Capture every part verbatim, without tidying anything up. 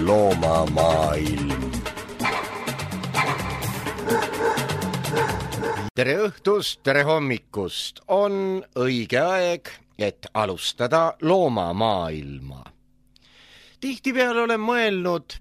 loomamaailm. Tere õhtust, tere hommikust, on õige aeg, et alustada loomamaailma. Tihtipeale olen mõelnud,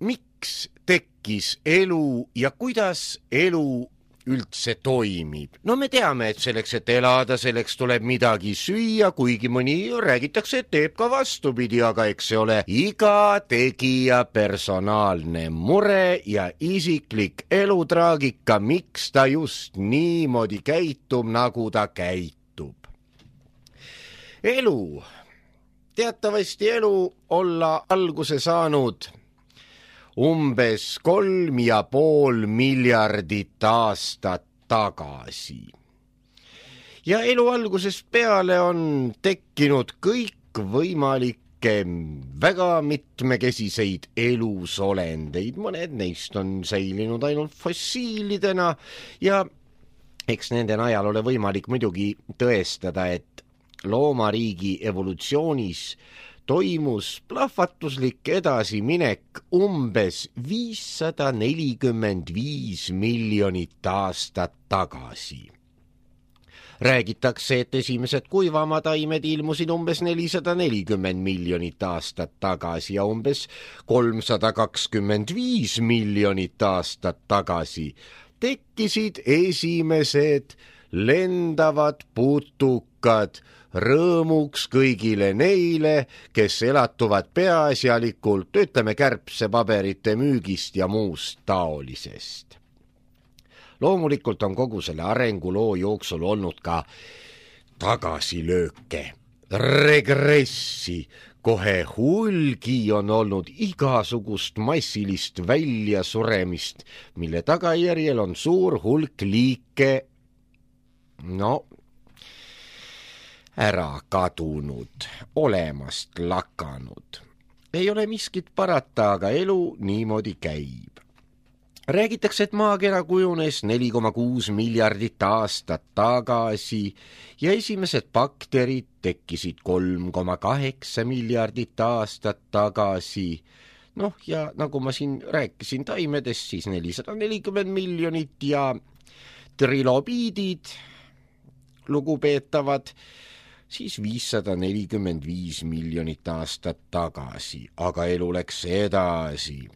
miks tekkis elu ja kuidas elu üldse toimib. No me teame, et selleks, et elada, selleks tuleb midagi süüa, kuigi mõni räägitakse, et teeb ka vastupidi, aga eks see ole iga tegija personaalne mure ja isiklik elutraagika, miks ta just niimoodi käitub, nagu ta käitub. Elu, teatavasti elu olla alguse saanud umbes kolm ja pool miljardit aastat tagasi. Ja elu algusest peale on tekkinud kõik võimalikke väga mitmekesiseid elusolendeid. Mõned neist on säilinud ainult fossiilidena ja eks nende najal ole võimalik muidugi tõestada, et loomariigi evolutsioonis toimus plahvatuslik edasiminek umbes viissada nelikümmend viis miljonit aastat tagasi. Räägitakse, et esimesed kuivamataimed ilmusid umbes nelisada nelikümmend miljonit aastat tagasi ja umbes kolmsada kakskümmend viis miljonit aastat tagasi tekkisid esimesed lendavad putukad, rõõmuks kõigile neile, kes elatuvad peaasjalikult, ütleme, kärbsepaberite müügist ja muust taolisest. Loomulikult on kogu selle arenguloo jooksul olnud ka tagasilööke, regressi, kohe hulgi on olnud igasugust massilist väljasuremist, mille tagajärjel on suur hulk liike, no, ära kadunud, olemast lakanud. Ei ole miskit parata, aga elu niimoodi käib. Räägitakse, et maakera kujunes neli koma kuus miljardit aastat tagasi ja esimesed bakterid tekkisid kolm koma kaheksa miljardit aastat tagasi. Noh, ja nagu ma siin rääkisin taimedest, siis nelisada nelikümmend miljonit ja trilobiidid, lugupeetavad, siis viissada nelikümmend viis miljonit aastat tagasi, aga elu läks edasi.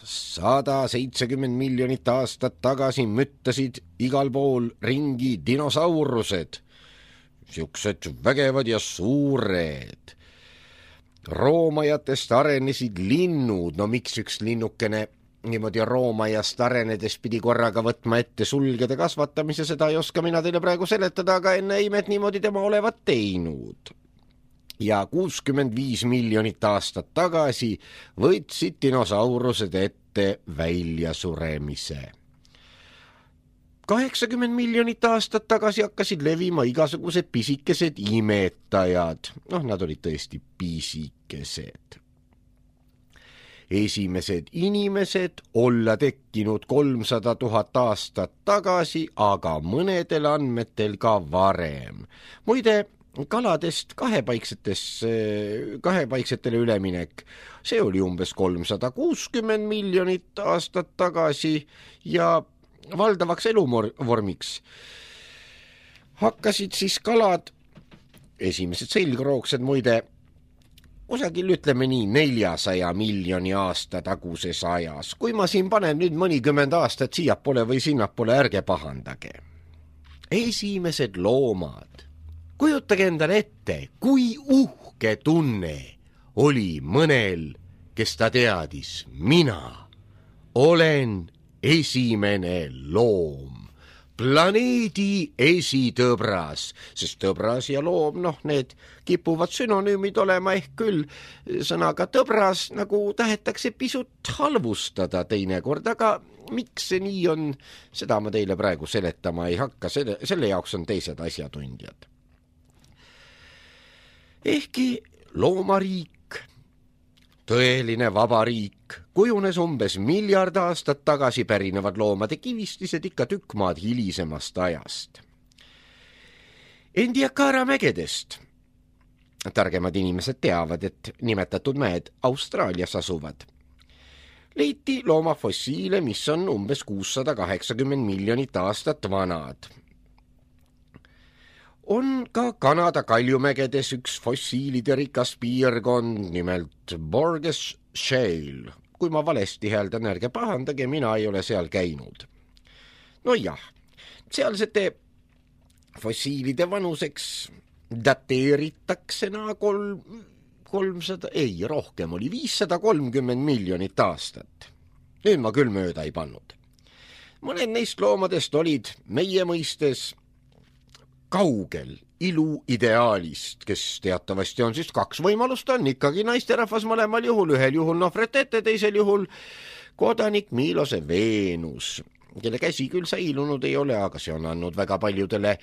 sada seitsekümmend miljonit aastat tagasi müttasid igal pool ringi dinosaurused, siuksed vägevad ja suured. Roomajatest arenesid linnud, no miks üks linnukene niimoodi roomajast arenedes pidi korraga võtma ette sulgede kasvatamise, seda ei oska mina teile praegu seletada, aga enne imet niimoodi tema olevat teinud. Ja kuuskümmend viis miljonit aastat tagasi võtsid dinosaurused ette väljasuremise. kaheksakümmend miljonit aastat tagasi hakkasid levima igasugused pisikesed imetajad. Noh, nad olid tõesti pisikesed. Esimesed inimesed olla tekkinud kolmsada tuhat aastat tagasi, aga mõnedel andmetel ka varem. Muide, kaladest kahepaiksetes, kahepaiksetele üleminek, see oli umbes kolmsada kuuskümmend miljonit aastat tagasi ja valdavaks eluvormiks hakkasid siis kalad, esimesed selgroogsed muide, kusagil ütleme nii neljasaja miljoni aasta taguses ajas. Kui ma siin panen nüüd mõnikümmend aastat siiapoole või sinnapoole, ärge pahandage. Esimesed loomad. Kujutage endale ette, kui uhke tunne oli mõnel, kes ta teadis, mina olen esimene loom. Planeedi esitõbras, sest tõbras ja loom, noh, need kipuvad sünonüümid olema ehk küll sõnaga tõbras, nagu tahetakse pisut halvustada teinekord, aga miks see nii on, seda ma teile praegu seletama ei hakka, selle, selle jaoks on teised asjatundjad. Ehkki loomariik, tõeline vabariik, kujunes umbes miljard aastat tagasi pärinevad loomade kivistised ikka tükk maad hilisemast ajast. Indiakara mägedest targemad inimesed teavad, et nimetatud mäed Austraalias asuvad. Leiti loomafossiile, mis on umbes kuussada kaheksakümmend miljonit aastat vanad. On ka Kanada kaljumägedes üks fossiilide rikas piirkond, nimelt Borges Shale. Kui ma valesti hääldan, ärge pahandage, mina ei ole seal käinud. No jah, sealsete fossiilide vanuseks dateeritakse naa kolm, kolmsada, ei, rohkem oli, viissada kolmkümmend miljonit aastat. Nüüd ma küll mööda ei pannud. Mõned neist loomadest olid meie mõistes kaugel ilu ideaalist, kes teatavasti on siis kaks võimalust, on ikkagi naisterahvas mõlemal juhul, ühel juhul Nofretete, teisel juhul kodanik Milose Veenus, kelle käsi küll säilunud ei ole, aga see on andnud väga paljudele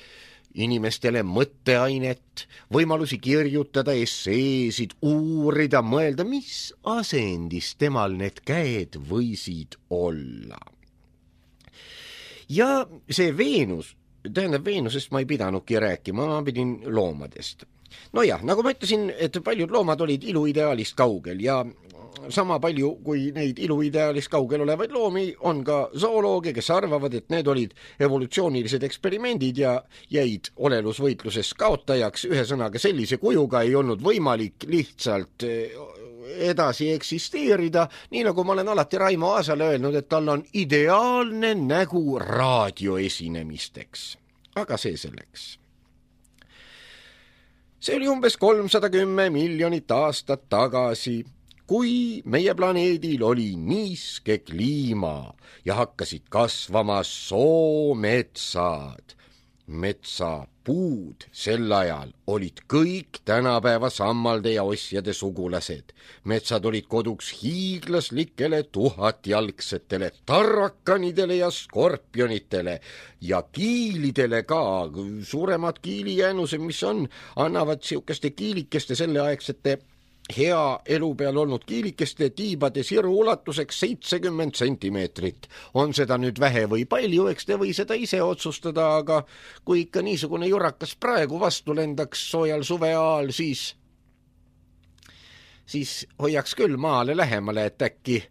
inimestele mõtteainet, võimalusi kirjutada esseesid, uurida, mõelda, mis asendis temal need käed võisid olla. Ja see Veenus, tähendab Veenusest ma ei pidanudki rääkima, ma pidin loomadest. No jah, nagu ma ütlesin, et paljud loomad olid iluideaalist kaugel ja sama palju kui neid iluideaalist kaugel olevaid loomi on ka zoolooge, kes arvavad, et need olid evolutsioonilised eksperimendid ja jäid olelusvõitluses kaotajaks. Ühesõnaga sellise kujuga ei olnud võimalik lihtsalt edasi eksisteerida, nii nagu ma olen alati Raimo Aasale öelnud, et tal on ideaalne nägu raadioesinemisteks. Aga see selleks. See oli umbes kolmsada kümme miljonit aastat tagasi, kui meie planeedil oli niiske kliima ja hakkasid kasvama soometsad. Metsapuud sel ajal olid kõik tänapäeva sammalde ja osjade sugulased. Metsad olid koduks hiiglaslikele tuhatjalgsetele tarrakanidele ja skorpionitele ja kiilidele ka. Suuremad kiilijäänused, mis on, annavad siukeste kiilikeste selleaegsete hea elu peal olnud kiilikeste tiibade siru ulatuseks seitsekümmend sentimeetrit. On seda nüüd vähe või palju, eks te või seda ise otsustada, aga kui ikka niisugune jurakas praegu vastu lendaks soojal suveaal, siis, siis hoiaks küll maale lähemale, et äkki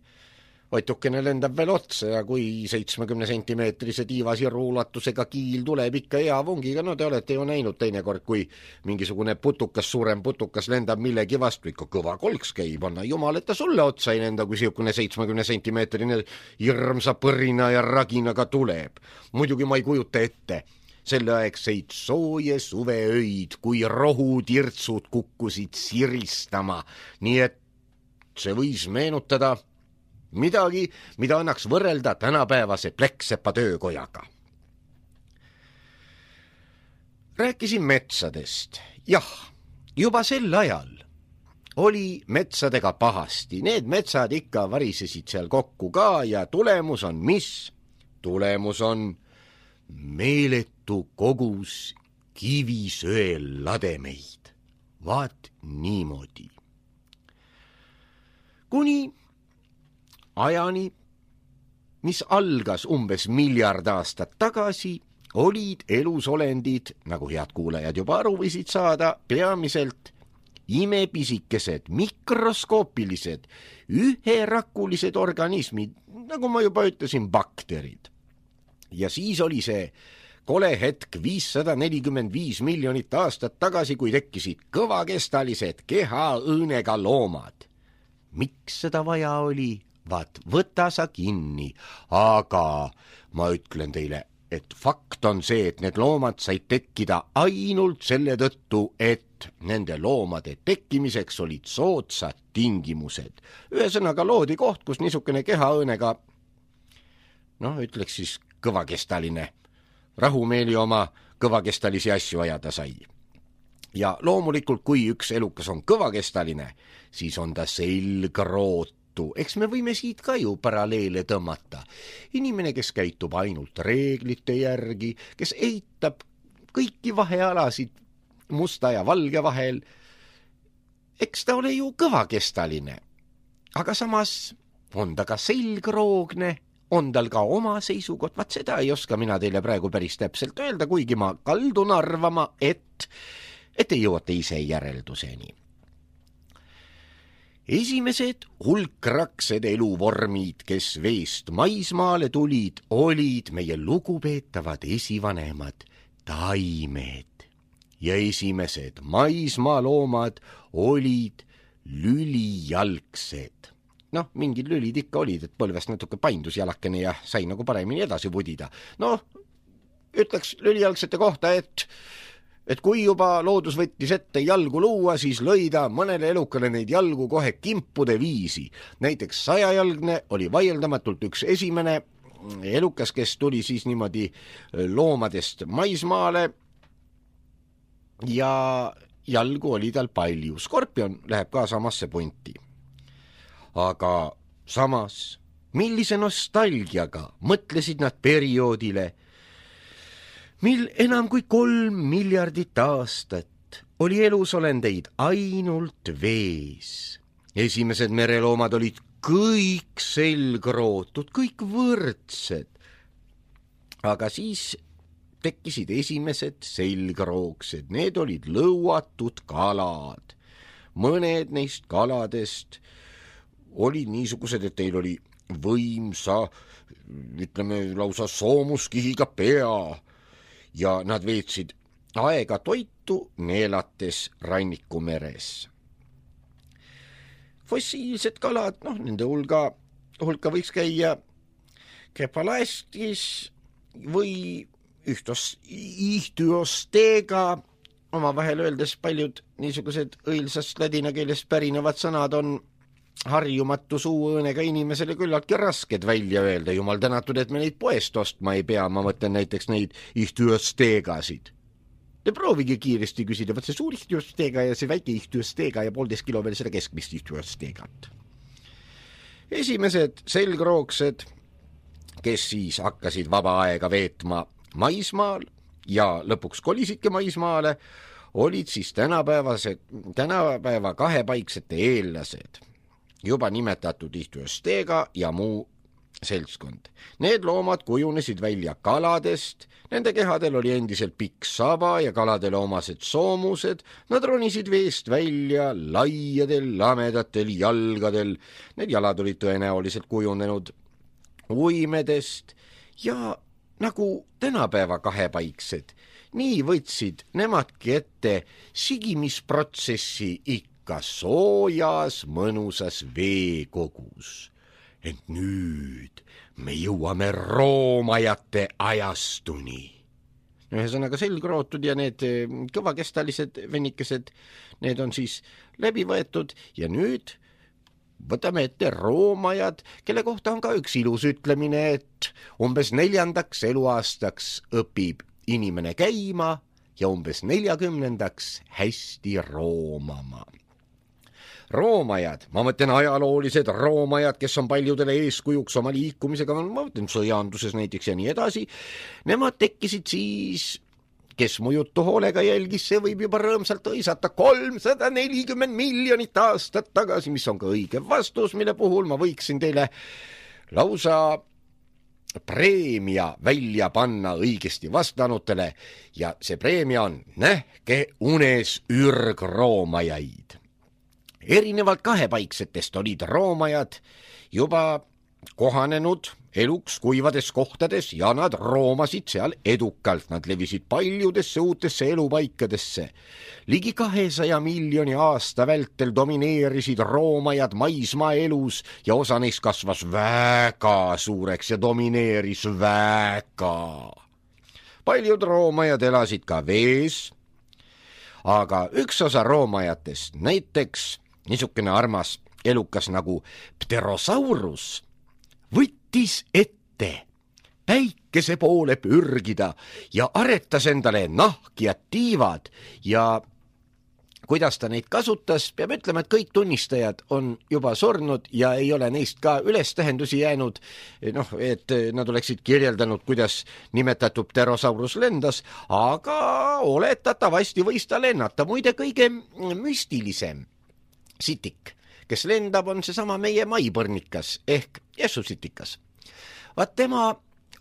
otukene lendab veel otsa ja kui seitsmekümne sentimeetrise tiivasiru ulatusega kiil tuleb ikka hea vungiga, no te olete ju näinud teinekord, kui mingisugune putukas, suurem putukas lendab millegi vastu, ikka kõva kolks käib, anna jumal, et ta sulle otsa ei lenda, kui siukene seitsmekümne sentimeetrine hirmsa põrina ja raginaga tuleb. Muidugi ma ei kujuta ette selleaegseid sooje suveöid, kui rohutirtsud kukkusid siristama, nii et see võis meenutada midagi, mida annaks võrrelda tänapäevase Pleksepa töökojaga. Rääkisin metsadest. Jah, juba sel ajal oli metsadega pahasti. Need metsad ikka varisesid seal kokku ka ja tulemus on mis? Tulemus on meeletu kogus kivisöel lademeid. Vaat niimoodi. Kuni ajani, mis algas umbes miljard aastat tagasi, olid elusolendid, nagu head kuulajad juba aru võisid saada, peamiselt imepisikesed, mikroskoopilised, üherakulised organismid, nagu ma juba ütlesin, bakterid. Ja siis oli see kole hetk viissada nelikümmend viis miljonit aastat tagasi, kui tekkisid kõvakestalised kehaõõnega loomad. Miks seda vaja oli? Vaat, võta sa kinni, aga ma ütlen teile, et fakt on see, et need loomad said tekkida ainult selle tõttu, et nende loomade tekkimiseks olid soodsad tingimused. Ühesõnaga loodi koht, kus niisugune kehaõõnega, noh, ütleks siis kõvakestaline, rahumeeli oma kõvakestalisi asju ajada sai. Ja loomulikult, kui üks elukas on kõvakestaline, siis on ta selgroot. Eks me võime siit ka ju paralleele tõmmata. Inimene, kes käitub ainult reeglite järgi, kes eitab kõiki vahealasid musta ja valge vahel, eks ta ole ju kõvakestaline. Aga samas on ta ka selgroogne, on tal ka oma seisukoht, vaat seda ei oska mina teile praegu päris täpselt öelda, kuigi ma kaldun arvama, et et te jõuate ise järelduseni. Esimesed hulkraksed eluvormid, kes veest maismaale tulid, olid meie lugupeetavad esivanemad taimed ja esimesed maismaaloomad olid lülijalgsed. Noh, mingid lülid ikka olid, et põlvest natuke paindus jalakene ja sai nagu paremini edasi pudida. Noh, ütleks lülijalgsete kohta, et et kui juba loodus võttis ette jalgu luua, siis lõi ta mõnele elukale neid jalgu kohe kimpude viisi. Näiteks sajajalgne oli vaieldamatult üks esimene elukas, kes tuli siis niimoodi loomadest maismaale ja jalgu oli tal palju. Skorpion läheb ka samasse punti. Aga samas, millise nostalgiaga mõtlesid nad perioodile, mil enam kui kolm miljardit aastat oli elusolendeid ainult vees. Esimesed mereloomad olid kõik selgrootud, kõik võrdsed. Aga siis tekkisid esimesed selgroogsed, need olid lõuatud kalad. Mõned neist kaladest olid niisugused, et teil oli võimsa, ütleme lausa soomuskihiga pea, ja nad veetsid aega toitu neelates rannikumeres. Fossiilsed kalad, noh, nende hulga, hulka võiks käia kepalaestis või ühtos, ihtyostega. Omavahel öeldes paljud niisugused õilsast ladina keelest pärinevad sõnad on harjumatu suuõõnega inimesele küllaltki rasked välja öelda. Jumal tänatud, et me neid poest ostma ei pea. Ma mõtlen näiteks neid ihtyösteegasid. Te proovige kiiresti küsida, võt see suur ihtyösteega ja see väike ihtyösteega ja poolteist kilo veel seda keskmist ihtyösteegat. Esimesed selgroogsed, kes siis hakkasid vaba aega veetma maismaal ja lõpuks kolisidki maismaale, olid siis tänapäevase, tänapäeva kahepaiksete eellased. Juba nimetatud ihtyösteega ja muu seltskond. Need loomad kujunesid välja kaladest, nende kehadel oli endiselt pikk saba ja kaladele omased soomused, nad ronisid veest välja laiadel, lamedatel jalgadel, need jalad olid tõenäoliselt kujunenud uimedest ja nagu tänapäeva kahepaiksed, nii võtsid nemadki ette sigimisprotsessi ikka ka soojas mõnusas veekogus. Ent nüüd me jõuame roomajate ajastuni. Ühesõnaga selgrootud ja need kõvakestalised vennikesed, need on siis läbi võetud ja nüüd võtame ette roomajad, kelle kohta on ka üks ilus ütlemine, et umbes neljandaks eluaastaks õpib inimene käima ja umbes neljakümnendaks hästi roomama. Roomajad, ma mõtlen ajaloolised roomajad, kes on paljudele eeskujuks oma liikumisega, ma mõtlen sõjanduses näiteks ja nii edasi, nemad tekkisid siis, kes mu juttu hoolega jälgis, see võib juba rõõmsalt õisata kolmsada nelikümmend miljonit aastat tagasi, mis on ka õige vastus, mille puhul ma võiksin teile lausa preemia välja panna õigesti vastanutele ja see preemia on nähke unes ürgroomajaid. Erinevalt kahepaiksetest olid roomajad juba kohanenud eluks kuivades kohtades ja nad roomasid seal edukalt. Nad levisid paljudesse uutesse elupaikadesse. Ligi kahesaja miljoni aasta vältel domineerisid roomajad maismaa elus ja osa neist kasvas väga suureks ja domineeris väga. Paljud roomajad elasid ka vees, aga üks osa roomajatest, näiteks niisugune armas elukas nagu Pterosaurus, võttis ette päikese poole pürgida ja aretas endale nahk ja tiivad ja kuidas ta neid kasutas, peab ütlema, et kõik tunnistajad on juba surnud ja ei ole neist ka ülestähendusi jäänud, noh, et nad oleksid kirjeldanud, kuidas nimetatud Pterosaurus lendas, aga oletatavasti võis ta lennata. Muide, kõige müstilisem sitik, kes lendab, on seesama meie maipõrnikas ehk jessusitikas. Vaat tema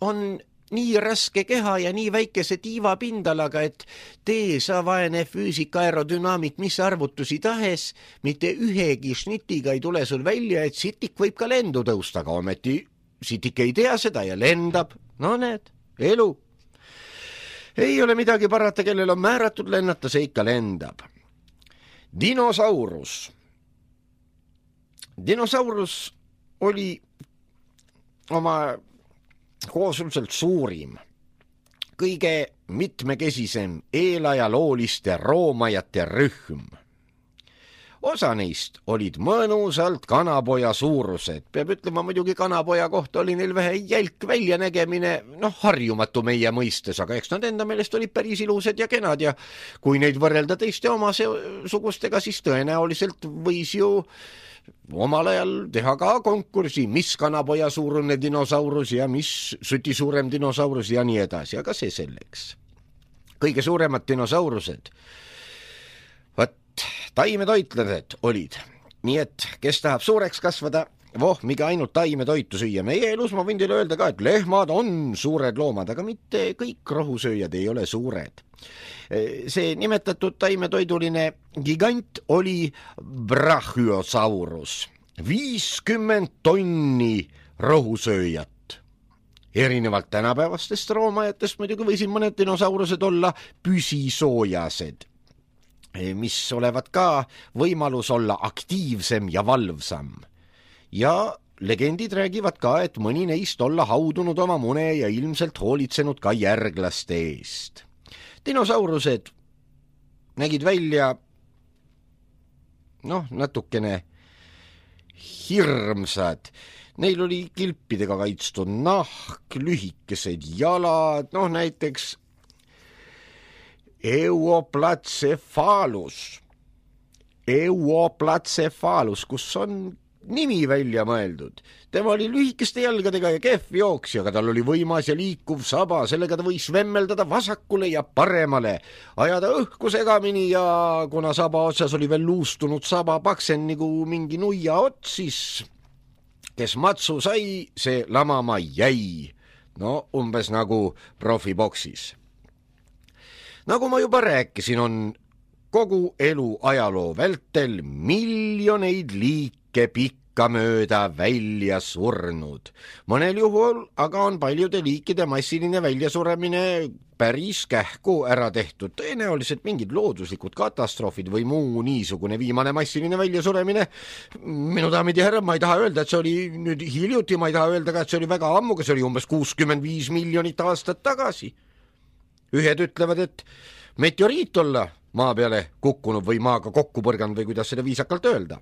on nii raske keha ja nii väikese tiivapindalaga, et tee sa vaene füüsika aerodünaamik, mis arvutusi tahes, mitte ühegi šnitiga ei tule sul välja, et sitik võib ka lendu tõusta, aga ometi sitik ei tea seda ja lendab. No näed, elu. Ei ole midagi parata, kellel on määratud lennata, see ikka lendab. Dinosaurus. Dinosaurus oli oma koosulselt suurim, kõige mitmekesisem eelajalooliste roomajate rühm. Osa neist olid mõnusalt kanapoja suurused. Peab ütlema, muidugi kanapoja kohta oli neil vähe jälk väljanägemine, noh, harjumatu meie mõistes, aga eks nad enda meelest olid päris ilusad ja kenad ja kui neid võrrelda teiste oma sugustega, siis tõenäoliselt võis ju omal ajal teha ka konkursi, mis kanapoja suurune dinosaurus ja mis süti suurem dinosaurus ja nii edasi, aga see selleks. Kõige suuremad dinosaurused, võt, taimetoitlased olid, nii et kes tahab suureks kasvada, voh, miga ainult taimetoitu süüa. Meie elus ma võin teile öelda ka, et lehmad on suured loomad, aga mitte kõik rohusööjad ei ole suured. See nimetatud taimetoiduline gigant oli Brachiosaurus, viiskümmend tonni rohusööjat. Erinevalt tänapäevastest roomajatest muidugi võisid mõned dinosaurused olla püsisoojased, mis olevat ka võimalus olla aktiivsem ja valvsam. Ja legendid räägivad ka, et mõni neist olla haudunud oma mune ja ilmselt hoolitsenud ka järglaste eest. Dinosaurused nägid välja noh, natukene hirmsad. Neil oli kilpidega kaitstud nahk, lühikesed jalad, noh näiteks Euoplatcephalus. Euoplatcephalus, kus on nimi välja mõeldud. Tema oli lühikeste jalgadega ja kehv jooksja, aga tal oli võimas ja liikuv saba, sellega ta võis vemmeldada vasakule ja paremale, ajada õhku segamini ja kuna saba otsas oli veel luustunud saba paksen nagu mingi nuia ots, siis kes matsu sai, see lamama jäi. No umbes nagu profiboksis. Nagu ma juba rääkisin, on kogu elu ajaloo vältel miljoneid liike pikka mööda välja surnud. Mõnel juhul aga on paljude liikide massiline väljasuremine päris kähku ära tehtud. Tõenäoliselt mingid looduslikud katastroofid või muu niisugune viimane massiline väljasuremine. Minu daamid ja härrad, ma ei taha öelda, et see oli nüüd hiljuti, ma ei taha öelda ka, et see oli väga ammuga, see oli umbes kuuskümmend viis miljonit aastat tagasi. Ühed ütlevad, et meteoriit olla maa peale kukkunud või maaga kokku põrganud või kuidas seda viisakalt öelda.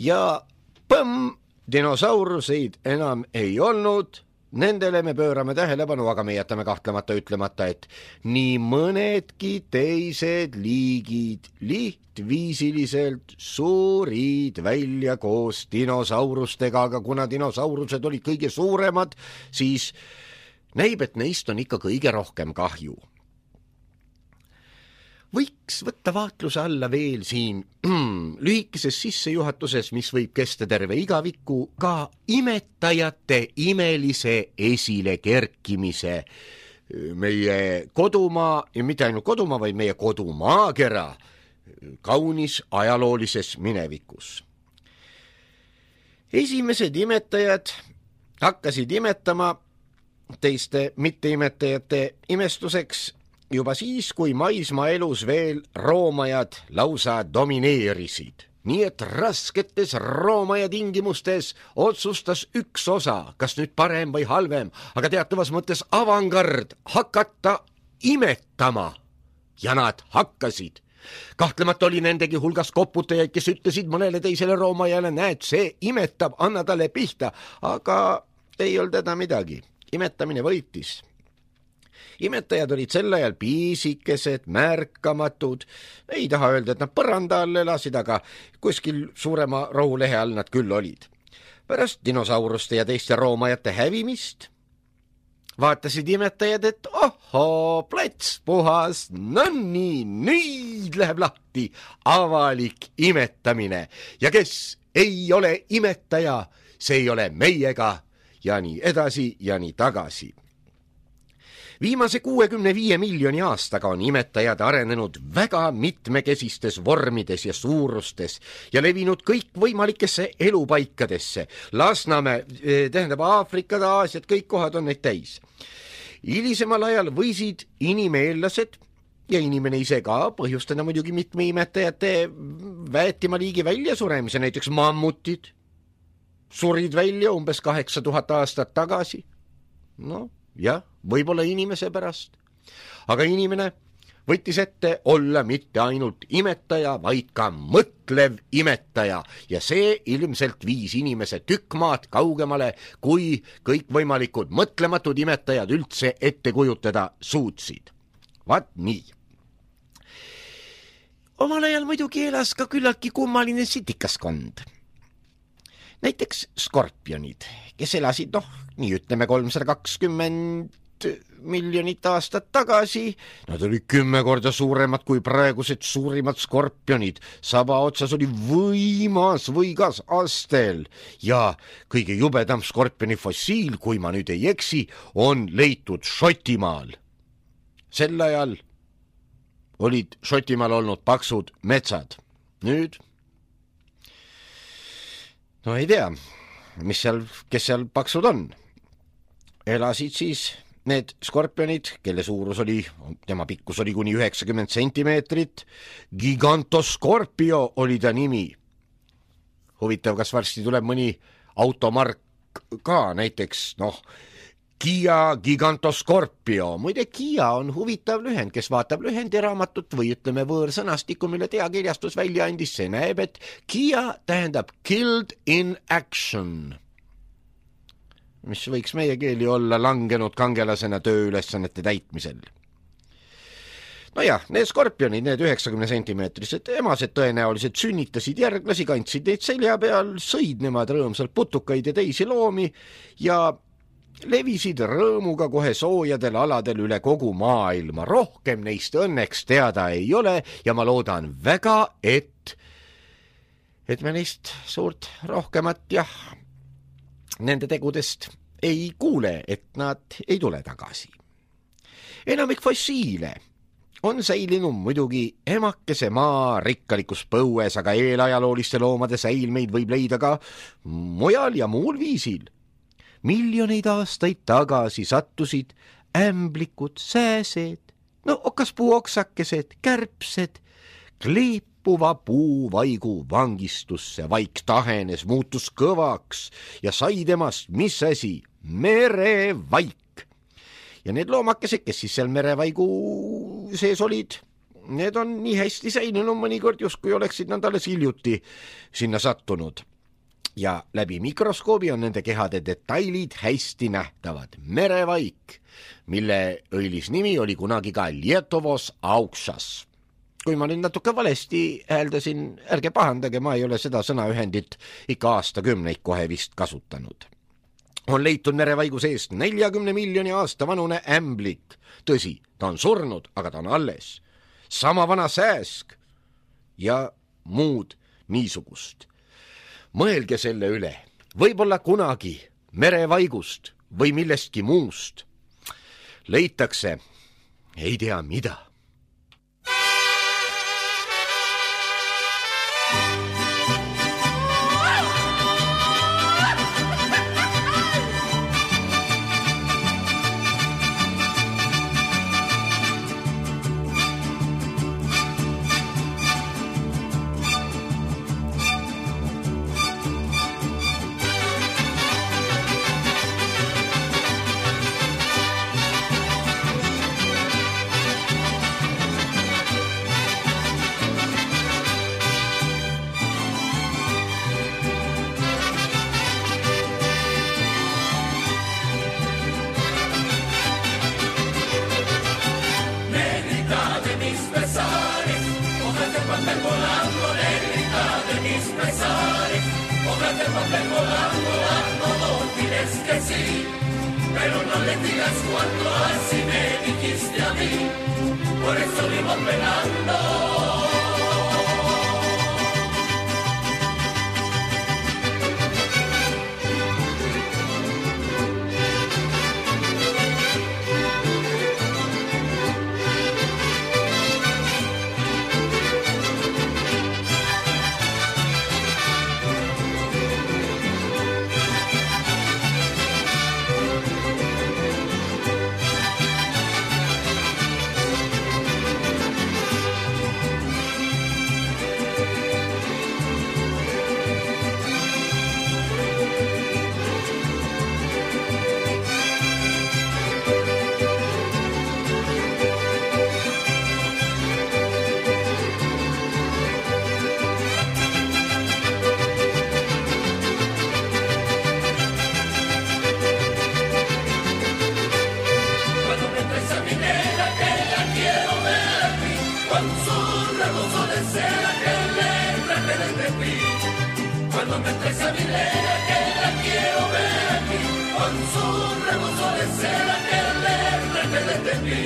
Ja põmm, dinosauruseid enam ei olnud, nendele me pöörame tähelepanu, aga me jätame kahtlemata ütlemata, et nii mõnedki teised liigid lihtviisiliselt suurid välja koos dinosaurustega, aga kuna dinosaurused olid kõige suuremad, siis näib, et neist on ikka kõige rohkem kahju. Võiks võtta vaatluse alla veel siin lühikeses sissejuhatuses, mis võib kesta terve igaviku, ka imetajate imelise esile kerkimise meie kodumaa, ja mitte ainult kodumaa, vaid meie kodumaakera kaunis ajaloolises minevikus. Esimesed imetajad hakkasid imetama teiste mitteimetajate imestuseks juba siis, kui maismaa elus veel roomajad lausa domineerisid. Nii et rasketes roomaja tingimustes otsustas üks osa, kas nüüd parem või halvem, aga teatavas mõttes avangard hakata imetama. Ja nad hakkasid. Kahtlemata oli nendegi hulgas koputajaid, kes ütlesid mõnele teisele roomajale, näed, see imetab, anna talle pihta, aga ei olnud teda midagi. Imetamine võitis. Imetajad olid sel ajal piisikesed, märkamatud. Ei taha öelda, et nad põranda all elasid, aga kuskil suurema rohulehe all nad küll olid. Pärast dinosauruste ja teiste roomajate hävimist vaatasid imetajad, et ohoo, plats puhas, no nii, nüüd läheb lahti avalik imetamine. Ja kes ei ole imetaja, see ei ole meiega ja nii edasi ja nii tagasi. Viimase kuuekümne viie miljoni aastaga on imetajad arenenud väga mitmekesistes vormides ja suurustes ja levinud kõikvõimalikesse elupaikadesse. Lasnamäe, tähendab Aafrikad, Aasiad, kõik kohad on neid täis. Hilisemal ajal võisid inimeellased ja inimene ise ka põhjustada muidugi mitme imetajate väetima liigi väljasuremise, näiteks mammutid surid välja umbes kaheksa tuhat aastat tagasi. No, jah, võib-olla inimese pärast. Aga inimene võttis ette olla mitte ainult imetaja, vaid ka mõtlev imetaja ja see ilmselt viis inimese tükk maad kaugemale, kui kõikvõimalikud mõtlematud imetajad üldse ette kujutada suutsid. Vaat nii. Omal ajal muidugi elas ka küllaltki kummaline sitikaskond. Näiteks skorpionid, kes elasid, noh, nii ütleme kolmsada kakskümmend miljonit aastat tagasi. Nad olid kümme korda suuremad kui praegused suurimad skorpionid. Saba otsas oli võimas võigas astel ja kõige jubedam skorpioni fossiil, kui ma nüüd ei eksi, on leitud Šotimaal. Sel ajal olid Šotimaal olnud paksud metsad. Nüüd no ei tea, mis seal, kes seal paksud on. Elasid siis need skorpionid, kelle suurus oli, tema pikkus oli kuni üheksakümmend sentimeetrit. Gigantoscorpio oli ta nimi. Huvitav, kas varsti tuleb mõni automark ka, näiteks, noh, Kia Gigantoscorpio. Muide, Kia on huvitav lühend, kes vaatab lühendiraamatut või ütleme võõrsõnastikku, mille teakirjastus välja andis, see näeb, et Kia tähendab killed in action, mis võiks meie keeli olla langenud kangelasena tööülesannete täitmisel. No jah, need skorpionid, need üheksakümne sentimeetrised emased tõenäoliselt sünnitasid järglasi, kandsid neid selja peal, sõid nemad rõõmsalt putukaid ja teisi loomi ja levisid rõõmuga kohe soojadel aladel üle kogu maailma. Rohkem neist õnneks teada ei ole ja ma loodan väga, et et me neist suurt rohkemat jah, nende tegudest ei kuule, et nad ei tule tagasi. Enamik fossiile on säilinud muidugi emakese maa rikkalikus põues, aga eelajalooliste loomade säilmeid võib leida ka mujal ja muul viisil. Miljoneid aastaid tagasi sattusid ämblikud, sääsed, no okaspuu oksakesed, kärpsed, kleepuva puuvaigu vangistusse. Vaik tahenes, muutus kõvaks ja sai temast mis asi? Merevaik. Ja need loomakesed, kes siis seal merevaigu sees olid, need on nii hästi säilinud mõnikord, justkui oleksid nad alles hiljuti sinna sattunud. Ja läbi mikroskoobi on nende kehade detailid hästi nähtavad. Merevaik, mille õilis nimi oli kunagi ka Lietovos auksas. Kui ma nüüd natuke valesti hääldasin, ärge pahandage, ma ei ole seda sõnaühendit ikka aastakümneid kohe vist kasutanud. On leitud merevaigu seest neljakümne miljoni aasta vanune ämblik. Tõsi, ta on surnud, aga ta on alles. Sama vana sääsk ja muud niisugust. Mõelge selle üle, võib-olla kunagi merevaigust või millestki muust leitakse ei tea mida. Pero no le digas cuando así me dijiste a mí, por eso vivo penando. con su rebozo de seda que le traje desde aquí. Cuando me traes a mi negra que la quiero ver aquí, con su rebozo de seda que le traje desde aquí.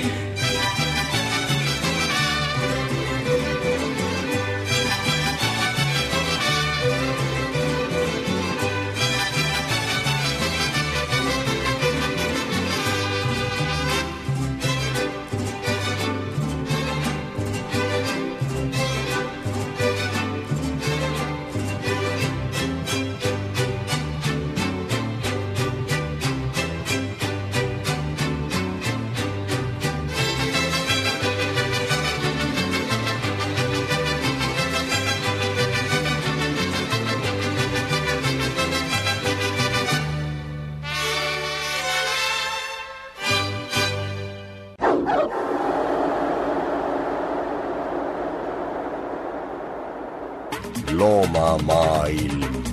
Loomamaailm.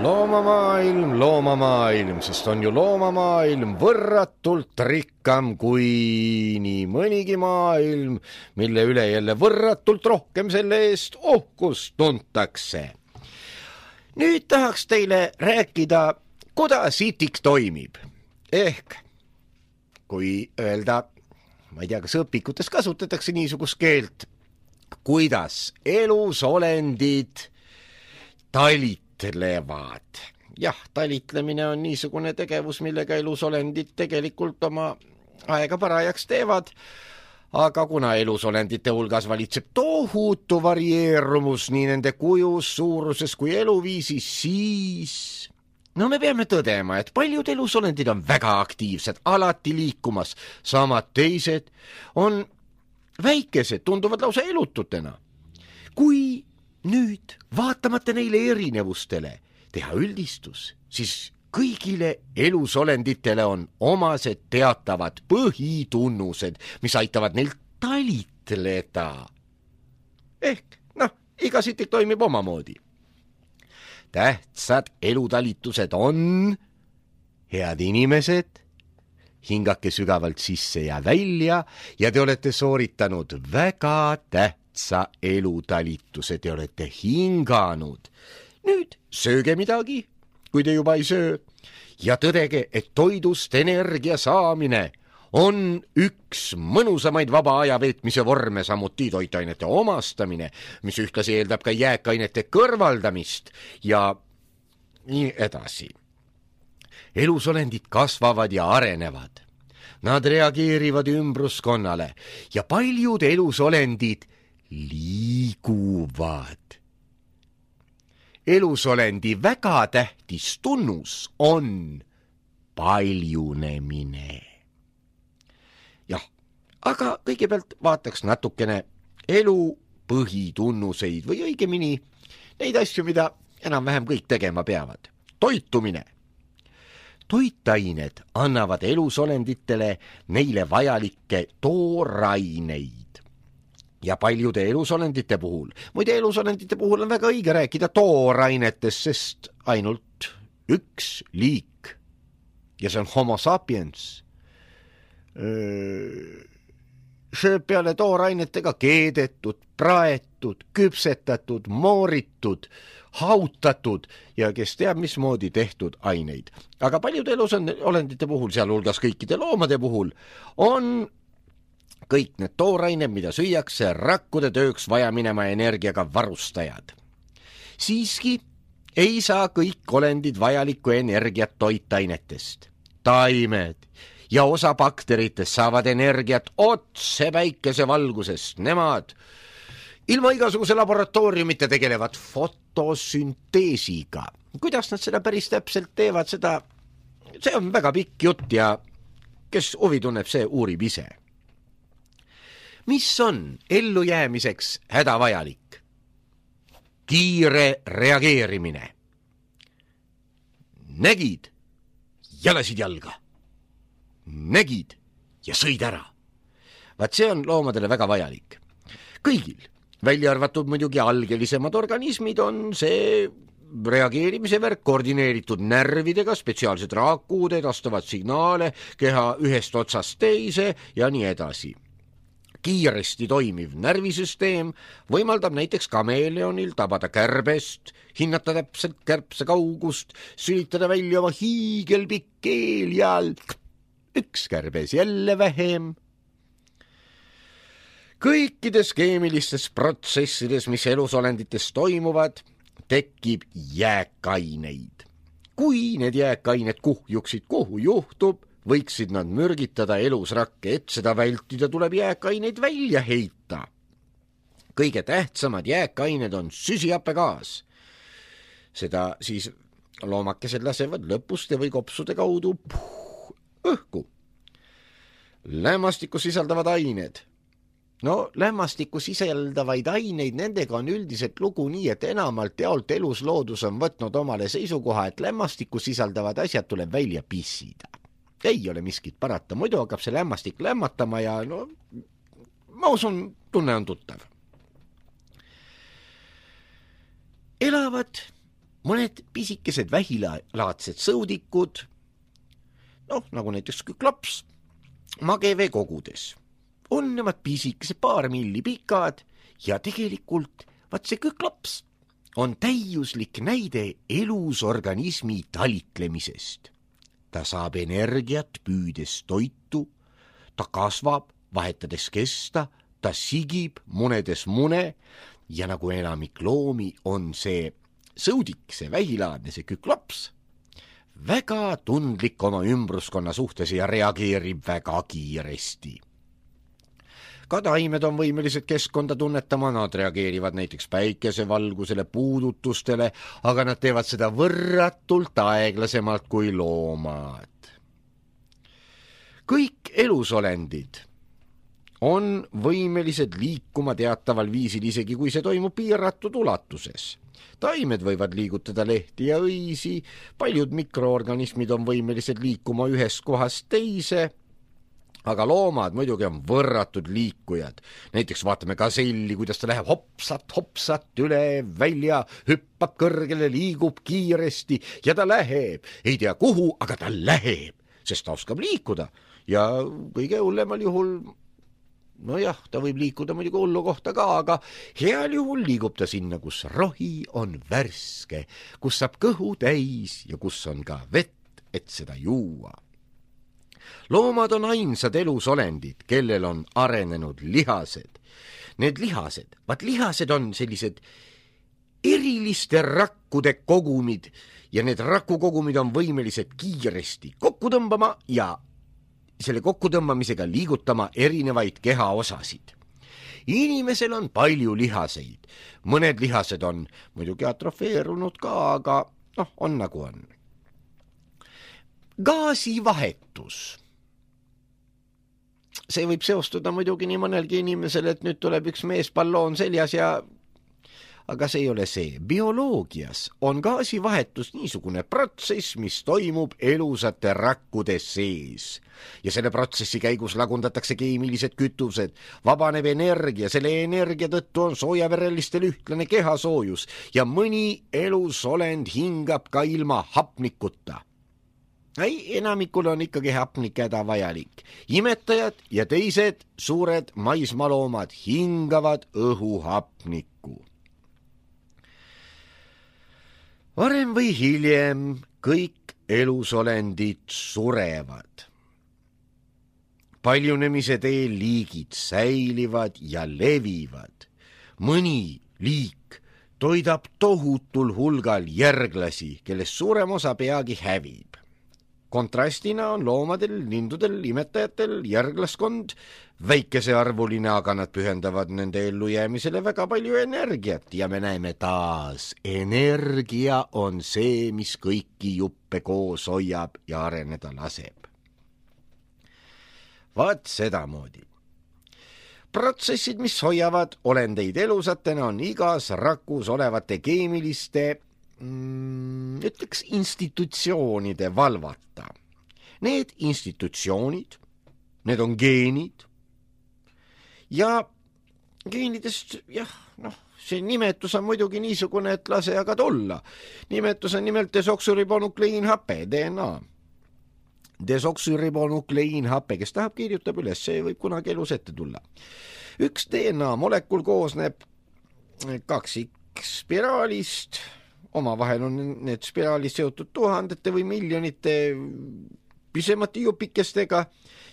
Loomamaailm, loomamaailm, sest on ju loomamaailm võrratult rikkam kui nii mõnigi maailm, mille üle jälle võrratult rohkem selle eest uhkust tuntakse. Nüüd tahaks teile rääkida, kuidas itik toimib. Ehk, kui öelda, ma ei tea, kas õpikutes kasutatakse niisugust keelt, kuidas elusolendid talitlevad. Jah, talitlemine on niisugune tegevus, millega elusolendid tegelikult oma aega parajaks teevad, aga kuna elusolendite hulgas valitseb tohutu varieerumus nii nende kujus, suuruses kui eluviisis, siis no me peame tõdema, et paljud elusolendid on väga aktiivsed, alati liikumas, samad teised on väikesed, tunduvad lausa elututena. Kui nüüd vaatamata neile erinevustele teha üldistus, siis kõigile elusolenditele on omased teatavad põhitunnused, mis aitavad neil talitleda. Ehk, noh, iga sitik toimib omamoodi. Tähtsad elutalitused on head inimesed, hingake sügavalt sisse ja välja ja te olete sooritanud väga tähtsa elutalituse, te olete hinganud. Nüüd sööge midagi, kui te juba ei söö, ja tõdege, et toidust energia saamine on üks mõnusamaid vaba aja veetmise vorme, samuti toitainete omastamine, mis ühtlasi eeldab ka jääkainete kõrvaldamist ja nii edasi. Elusolendid kasvavad ja arenevad. Nad reageerivad ümbruskonnale ja paljud elusolendid liiguvad. Elusolendi väga tähtis tunnus on paljunemine. Jah, aga kõigepealt vaataks natukene elu põhitunnuseid või õigemini neid asju, mida enam-vähem kõik tegema peavad. Toitumine. Toitained annavad elusolenditele neile vajalikke tooraineid. Ja paljude elusolendite puhul, muide elusolendite puhul on väga õige rääkida toorainetest, sest ainult üks liik, ja see on homo sapiens, sööb peale toorainetega keedetud, praetud, küpsetatud, mooritud, hautatud ja kes teab mismoodi tehtud aineid. Aga paljude elusolendite puhul, sealhulgas kõikide loomade puhul, on kõik need toorained, mida süüakse, rakkude tööks vaja minema energiaga varustajad. Siiski ei saa kõik olendid vajalikku energiat toitainetest. Taimed ja osa bakteritest saavad energiat otse päikese valgusest. Nemad ilma igasuguse laboratooriumite tegelevad fotosünteesiga. Kuidas nad seda päris täpselt teevad, seda, see on väga pikk jutt ja kes huvi tunneb, see uurib ise. Mis on ellujäämiseks hädavajalik? Kiire reageerimine. Nägid ja lasid jalga. Nägid ja sõid ära. Vaat see on loomadele väga vajalik. Kõigil, välja arvatud muidugi algelisemad organismid, on see reageerimise värk koordineeritud närvidega, spetsiaalsed raakuud edastavad signaale keha ühest otsast teise ja nii edasi. Kiiresti toimiv närvisüsteem võimaldab näiteks kameeleonil tabada kärbest, hinnata täpselt kärbse kaugust, sülitada välja oma hiigelpikk keel ja üks kärbes jälle vähem. Kõikides keemilistes protsessides, mis elusolendites toimuvad, tekib jääkaineid. Kui need jääkained kuhjuksid, kuhu juhtub, võiksid nad mürgitada elusrakke, et seda vältida tuleb jääkaineid välja heita. Kõige tähtsamad jääkained on süsihappegaas. Seda siis loomakesed lasevad lõpuste või kopsude kaudu puh, õhku. Lämmastikku sisaldavad ained. No lämmastikku sisaldavaid aineid, nendega on üldiselt lugu nii, et enamalt jaolt elusloodus on võtnud omale seisukoha, et lämmastikku sisaldavad asjad tuleb välja pissida. Ei ole miskit parata, muidu hakkab see lämmastik lämmatama ja no, ma usun, tunne on tuttav. Elavad mõned pisikesed vähilaadsed sõudikud, noh, nagu näiteks küklaps, magevee kogudes. On nemad pisikesed paar milli pikad ja tegelikult vaat see küklaps on täiuslik näide elus organismi talitlemisest. Ta saab energiat püüdes toitu, ta kasvab, vahetades kesta, ta sigib, munedes mune ja nagu enamik loomi on see sõudik, see vähilaadne, see küklaps, väga tundlik oma ümbruskonna suhtes ja reageerib väga kiiresti. Ka taimed on võimelised keskkonda tunnetama, nad reageerivad näiteks päikesevalgusele, puudutustele, aga nad teevad seda võrratult aeglasemalt kui loomad. Kõik elusolendid on võimelised liikuma teataval viisil, isegi kui see toimub piiratud ulatuses. Taimed võivad liigutada lehti ja õisi, paljud mikroorganismid on võimelised liikuma ühest kohast teise, aga loomad muidugi on võrratud liikujad. Näiteks vaatame gaselli, kuidas ta läheb hopsat, hopsat üle, välja, hüppab kõrgele, liigub kiiresti ja ta läheb. Ei tea kuhu, aga ta läheb, sest ta oskab liikuda. Ja kõige hullemal juhul, no jah, ta võib liikuda muidugi hullu kohta ka, aga heal juhul liigub ta sinna, kus rohi on värske, kus saab kõhu täis ja kus on ka vett, et seda juua. Loomad on ainsad elusolendid, kellel on arenenud lihased. Need lihased, vaat lihased on sellised eriliste rakkude kogumid ja need rakukogumid on võimelised kiiresti kokku tõmbama ja selle kokkutõmbamisega liigutama erinevaid kehaosasid. Inimesel on palju lihaseid. Mõned lihased on muidugi atrofeerunud ka, aga noh, on nagu on. Gaasivahetus. See võib seostuda muidugi nii mõnelgi inimesel, et nüüd tuleb üks meespalloon seljas ja aga see ei ole see. Bioloogias on gaasivahetus niisugune protsess, mis toimub elusate rakkude sees. Ja selle protsessi käigus lagundatakse keemilised kütused, vabaneb energia, selle energia tõttu on soojaverelistel ühtlane kehasoojus ja mõni elusolend hingab ka ilma hapnikuta. Ei, enamikul on ikkagi hapnik hädavajalik. Imetajad ja teised suured maismaloomad hingavad õhuhapnikku. Varem või hiljem kõik elusolendid surevad. Paljunemise teel liigid säilivad ja levivad. Mõni liik toidab tohutul hulgal järglasi, kellest suurem osa peagi hävib. Kontrastina on loomadel, lindudel, imetajatel järglaskond väikesearvuline, aga nad pühendavad nende ellujäämisele väga palju energiat ja me näeme taas, energia on see, mis kõiki juppe koos hoiab ja areneda laseb. Vaat sedamoodi. Protsessid, mis hoiavad olendeid elusatena, on igas rakus olevate keemiliste Mm, ütleks institutsioonide valvata. Need institutsioonid, need on geenid ja geenidest, jah, noh, see nimetus on muidugi niisugune, et lase aga tulla. Nimetus on nimelt desoksüribonukleiinhape, D N A. Desoksüribonukleiinhape, kes tahab, kirjutab üles, see võib kunagi elus ette tulla. Üks D N A molekul koosneb kaksikspiraalist, omavahel on need spiraalid seotud tuhandete või miljonite pisemate jupikestega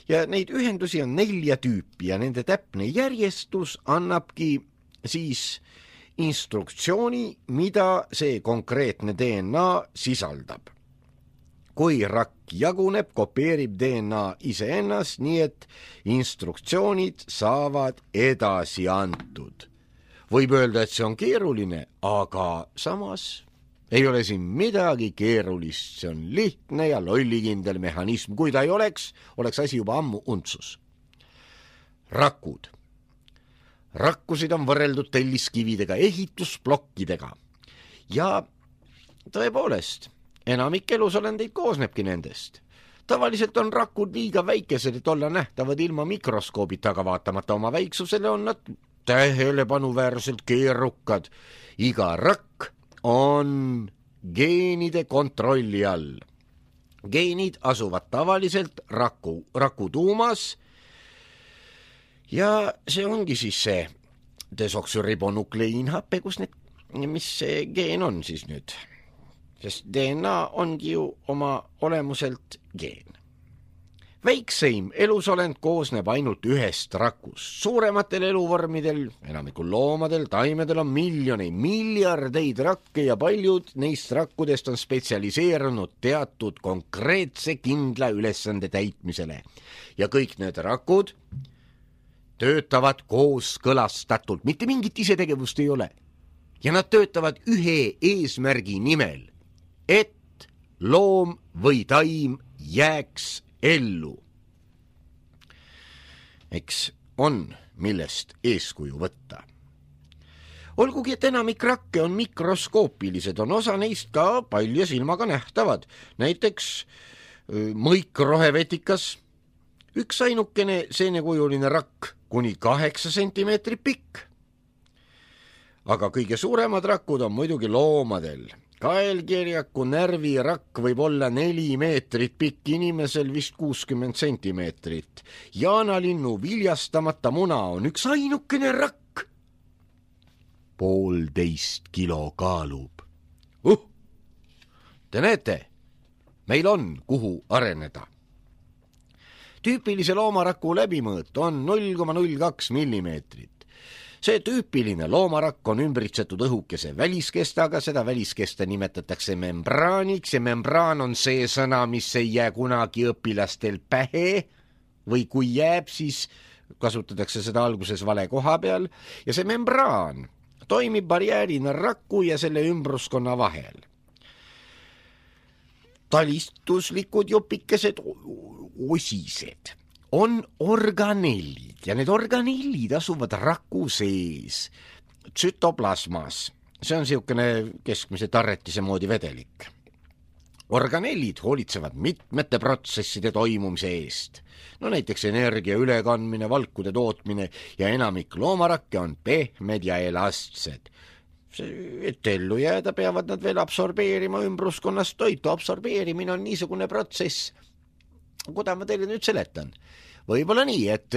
ja neid ühendusi on nelja tüüpi ja nende täpne järjestus annabki siis instruktsiooni, mida see konkreetne D N A sisaldab. Kui rakk jaguneb, kopeerib D N A iseennast, nii et instruktsioonid saavad edasi antud. Võib öelda, et see on keeruline, aga samas ei ole siin midagi keerulist, see on lihtne ja lollikindel mehhanism. Kui ta ei oleks, oleks asi juba ammu untsus. Rakud. Rakkusid on võrreldud telliskividega, ehitusplokkidega. Ja tõepoolest, enamik elusolendeid koosnebki nendest. Tavaliselt on rakud liiga väikesed, et olla nähtavad ilma mikroskoobita, aga vaatamata oma väiksusele on nad tähelepanuväärselt keerukad. Iga rakk on geenide kontrolli all. Geenid asuvad tavaliselt raku, raku tuumas ja see ongi siis see desoksüribonukleiinhape, kus need, mis see geen on siis nüüd? Sest D N A ongi ju oma olemuselt geen. Väikseim elusolend koosneb ainult ühest rakust. Suurematel eluvormidel, enamikul loomadel, taimedel on miljoneid, miljardeid rakke ja paljud neist rakkudest on spetsialiseerunud teatud konkreetse kindla ülesande täitmisele. Ja kõik need rakud töötavad kooskõlastatult, mitte mingit isetegevust ei ole. Ja nad töötavad ühe eesmärgi nimel, et loom või taim jääks ellu. Eks on, millest eeskuju võtta. Olgugi, et enamik rakke on mikroskoopilised, on osa neist ka palja silmaga nähtavad. Näiteks mõikrohevetikas, üks ainukene seenekujuline rakk, kuni kaheksa sentimeetrit pikk. Aga kõige suuremad rakud on muidugi loomadel. Kaelkirjaku närvirakk võib olla neli meetrit pikk, inimesel vist kuuskümmend sentimeetrit. Jaanalinnu viljastamata muna on üks ainukene rakk. Poolteist kilo kaalub. Uh! Te näete, meil on kuhu areneda. Tüüpilise loomaraku läbimõõt on null koma null kaks millimeetrit. See tüüpiline loomarakk on ümbritsetud õhukese väliskestaga, seda väliskesta nimetatakse membraaniks ja membraan on see sõna, mis ei jää kunagi õpilastel pähe või kui jääb, siis kasutatakse seda alguses vale koha peal ja see membraan toimib barjäärina raku ja selle ümbruskonna vahel. Talistuslikud jupikesed osised on organellid ja need organellid asuvad raku sees, tsütoplasmas. See on siukene keskmise tarretise moodi vedelik. Organellid hoolitsevad mitmete protsesside toimumise eest. No näiteks energia ülekandmine, valkude tootmine ja enamik loomarakke on pehmed ja elastsed. Et ellu jääda, peavad nad veel absorbeerima ümbruskonnast toitu. Absorbeerimine on niisugune protsess. Kuda ma teile nüüd seletan? Võib-olla nii, et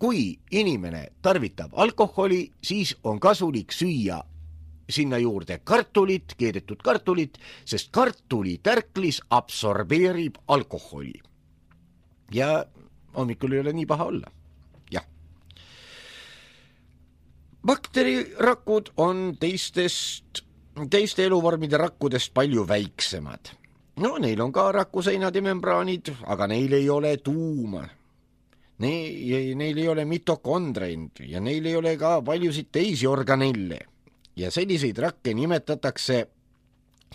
kui inimene tarvitab alkoholi, siis on kasulik süüa sinna juurde kartulit, keedetud kartulit, sest kartulitärklis absorbeerib alkoholi. Ja hommikul ei ole nii paha olla. Jah. Bakterirakud on teistest, teiste eluvormide rakkudest palju väiksemad. No, neil on ka rakuseinad ja membraanid, aga neil ei ole tuuma. Neil, neil ei ole mitokondreid ja neil ei ole ka paljusid teisi organelle. Ja selliseid rakke nimetatakse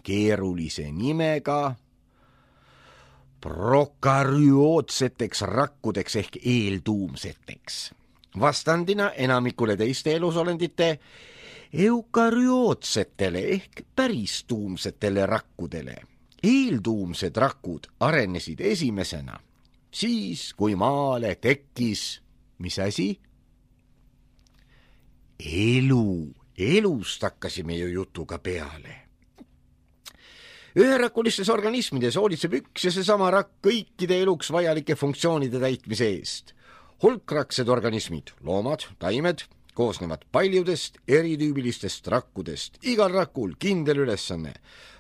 keerulise nimega prokaryootseteks rakkudeks ehk eeltuumseteks. Vastandina enamikule teiste elusolendite eukaryootsetele ehk päristuumsetele rakkudele. Eeltuumsed rakud arenesid esimesena, siis kui maale tekkis, mis asi? elu, elust hakkasime ju jutuga peale. Üherakulistes organismides hoolitseb üks ja seesama rakk kõikide eluks vajalike funktsioonide täitmise eest. Hulkraksed organismid, loomad, taimed, koosnevad paljudest eritüübilistest rakkudest. Igal rakul kindel ülesanne.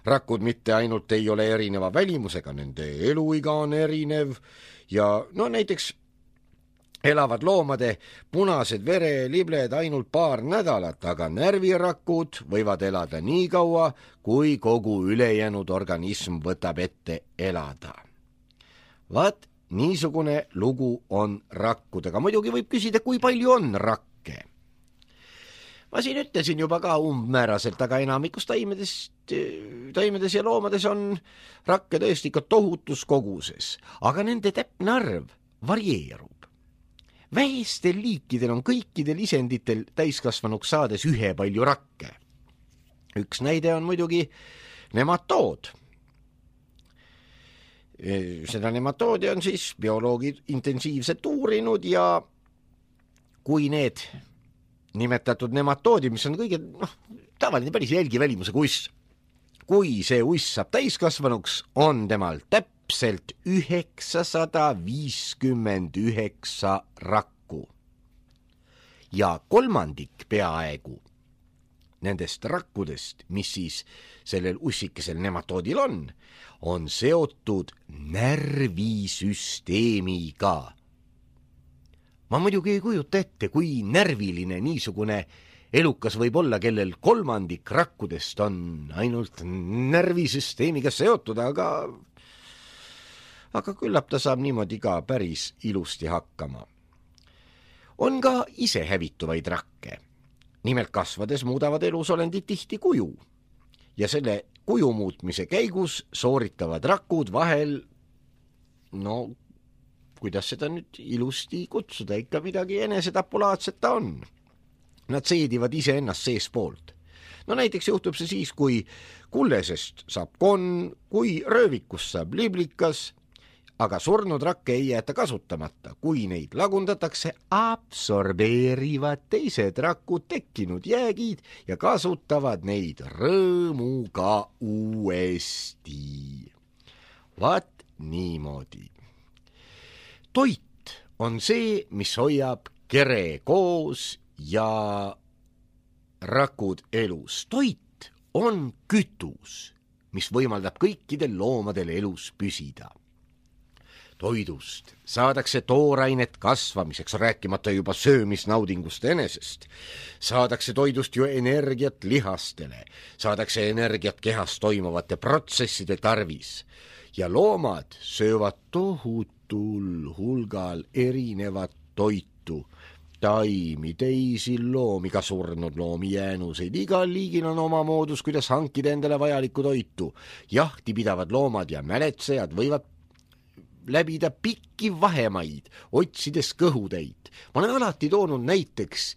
Rakud mitte ainult ei ole erineva välimusega, nende eluiga on erinev ja no näiteks elavad loomade punased verelibled ainult paar nädalat, aga närvirakud võivad elada nii kaua, kui kogu ülejäänud organism võtab ette elada. Vaat niisugune lugu on rakkudega. Muidugi võib küsida, kui palju on rakke. Ma siin ütlesin juba ka umbmääraselt, aga enamikus taimedest, taimedes ja loomades on rakke tõesti ikka tohutus koguses, aga nende täpne arv varieerub. Vähestel liikidel on kõikidel isenditel täiskasvanuks saades ühe palju rakke. Üks näide on muidugi nematood. Seda nematoodi on siis bioloogid intensiivselt uurinud ja kui need nimetatud nematoodi, mis on kõige noh, tavaline päris jälgivälimusega uss, kui see uss saab täiskasvanuks, on temal täpselt üheksasada viiskümmend üheksa rakku. Ja kolmandik peaaegu nendest rakkudest, mis siis sellel ussikesel nematoodil on, on seotud närvisüsteemiga. Ma muidugi ei kujuta ette, kui närviline niisugune elukas võib olla, kellel kolmandik rakkudest on ainult närvisüsteemiga seotud, aga, aga küllap ta saab niimoodi ka päris ilusti hakkama. On ka ise hävituvaid rakke. Nimelt kasvades muudavad elusolendid tihti kuju ja selle kuju muutmise käigus sooritavad rakud vahel, no kuidas seda nüüd ilusti kutsuda, ikka midagi enesetapulaadset ta on. Nad seedivad ise ennast seespoolt. No näiteks juhtub see siis, kui kullesest saab konn, kui röövikust saab liblikas, aga surnud rakke ei jäeta kasutamata. Kui neid lagundatakse, absorbeerivad teised rakud tekkinud jäägid ja kasutavad neid rõõmuga uuesti. Vaat niimoodi. Toit on see, mis hoiab kere koos ja rakud elus. Toit on kütus, mis võimaldab kõikidel loomadel elus püsida. Toidust saadakse toorainet kasvamiseks, rääkimata juba söömisnaudingust enesest. Saadakse toidust ju energiat lihastele, saadakse energiat kehas toimuvate protsesside tarvis ja loomad söövad tohutul hulgal erinevat toitu. Taimi, teisi loomi, ka surnud loomi jäänuseid. Igal liigil on oma moodus, kuidas hankida endale vajalikku toitu. Jahti pidavad loomad ja mäletsejad võivad läbida pikki vahemaid, otsides kõhutäit. Ma olen alati toonud näiteks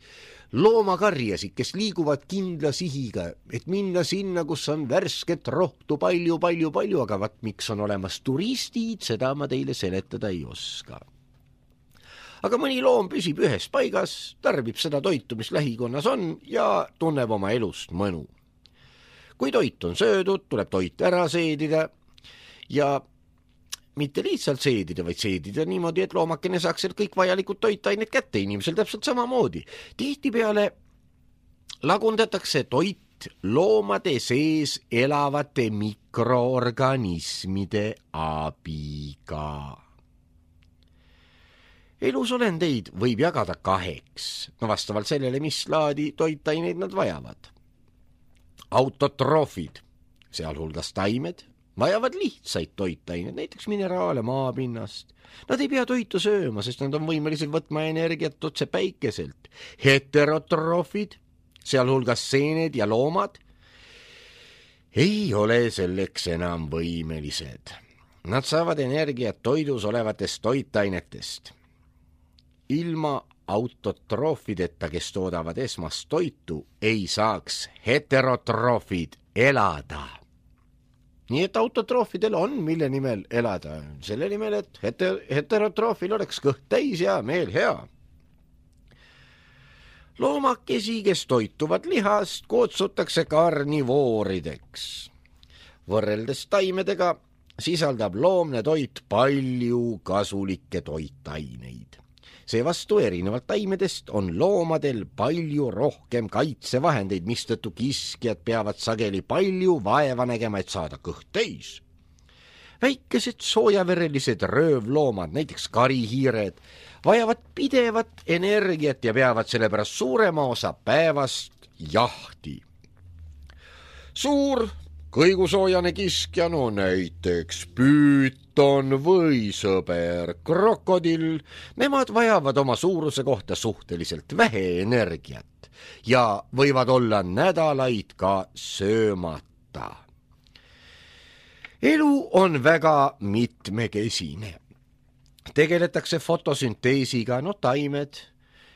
loomakarjasid, kes liiguvad kindla sihiga, et minna sinna, kus on värsket rohtu palju, palju, palju, aga vat miks on olemas turistid, seda ma teile seletada ei oska. Aga mõni loom püsib ühes paigas, tarbib seda toitu, mis lähikonnas on ja tunneb oma elust mõnu. Kui toit on söödud, tuleb toit ära seedida ja mitte lihtsalt seedida, vaid seedida niimoodi, et loomakene saaks sealt kõik vajalikud toitained kätte, inimesel täpselt samamoodi. Tihtipeale lagundatakse toit loomade sees elavate mikroorganismide abiga. Elusolendeid võib jagada kaheks, no vastavalt sellele, mis laadi toitaineid nad vajavad. Autotroofid, sealhulgas taimed, vajavad lihtsaid toitaineid, näiteks mineraale maapinnast. Nad ei pea toitu sööma, sest nad on võimelised võtma energiat otse päikeselt. Heterotroofid, sealhulgas seened ja loomad, ei ole selleks enam võimelised. Nad saavad energiat toidus olevatest toitainetest. Ilma autotroofideta, kes toodavad esmast toitu, ei saaks heterotroofid elada. Nii et autotroofidel on mille nimel elada, selle nimel, et heter- heterotroofil oleks kõht täis ja meel hea. loomakesi, kes toituvad lihast, kutsutakse karnivoorideks. Võrreldes taimedega sisaldab loomne toit palju kasulikke toitaineid. Seevastu erinevalt taimedest on loomadel palju rohkem kaitsevahendeid, mistõttu kiskjad peavad sageli palju vaeva nägema, et saada kõht täis. Väikesed soojaverelised röövloomad, näiteks karihiired, vajavad pidevat energiat ja peavad sellepärast suurema osa päevast jahti. Suur kõigusoojane kiskja, no näiteks püüton või sõber krokodill, nemad vajavad oma suuruse kohta suhteliselt vähe energiat ja võivad olla nädalaid ka söömata. Elu on väga mitmekesine. Tegeletakse fotosünteesiga, no taimed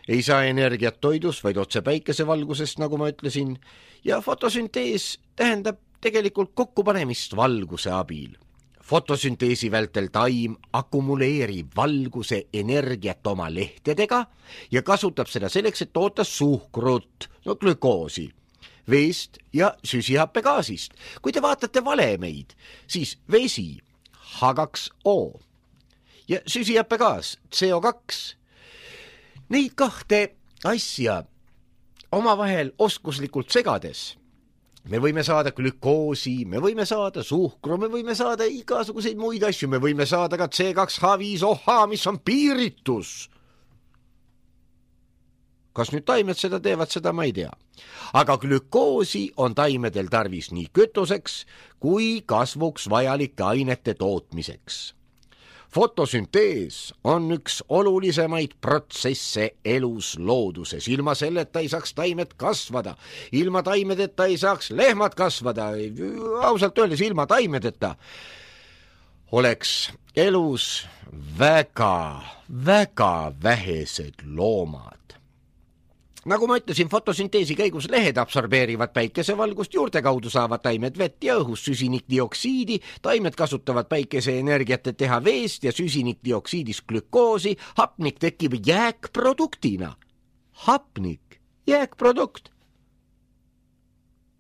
ei saa energiat toidust, vaid otse päikesevalgusest, nagu ma ütlesin, ja fotosüntees tähendab tegelikult kokkupanemist valguse abil. Fotosünteesi vältel taim akumuleerib valguse energiat oma lehtedega ja kasutab seda selleks, et toota suhkrut, no glükoosi, veest ja süsihappegaasist. Kui te vaatate valemeid, siis vesi H kaks O ja süsihappegaas C O kaks. Neid kahte asja omavahel oskuslikult segades me võime saada glükoosi, me võime saada suhkru, me võime saada igasuguseid muid asju, me võime saada ka C kaks H viis O H, mis on piiritus. Kas nüüd taimed seda teevad, seda ma ei tea. Aga glükoosi on taimedel tarvis nii kütuseks kui kasvuks vajalike ainete tootmiseks. Fotosüntees on üks olulisemaid protsesse elus looduses. Ilma selleta ei saaks taimed kasvada. Ilma taimedeta ei saaks lehmad kasvada. Ausalt öeldes ilma taimedeta oleks elus väga, väga vähesed loomad. Nagu ma ütlesin, fotosünteesi käigus lehed absorbeerivad päikesevalgust, juurte kaudu saavad taimed vett ja õhus süsinikdioksiidi, taimed kasutavad päikeseenergiat, et teha veest ja süsinikdioksiidist glükoosi, hapnik tekib jääkproduktina. Hapnik, jääkprodukt.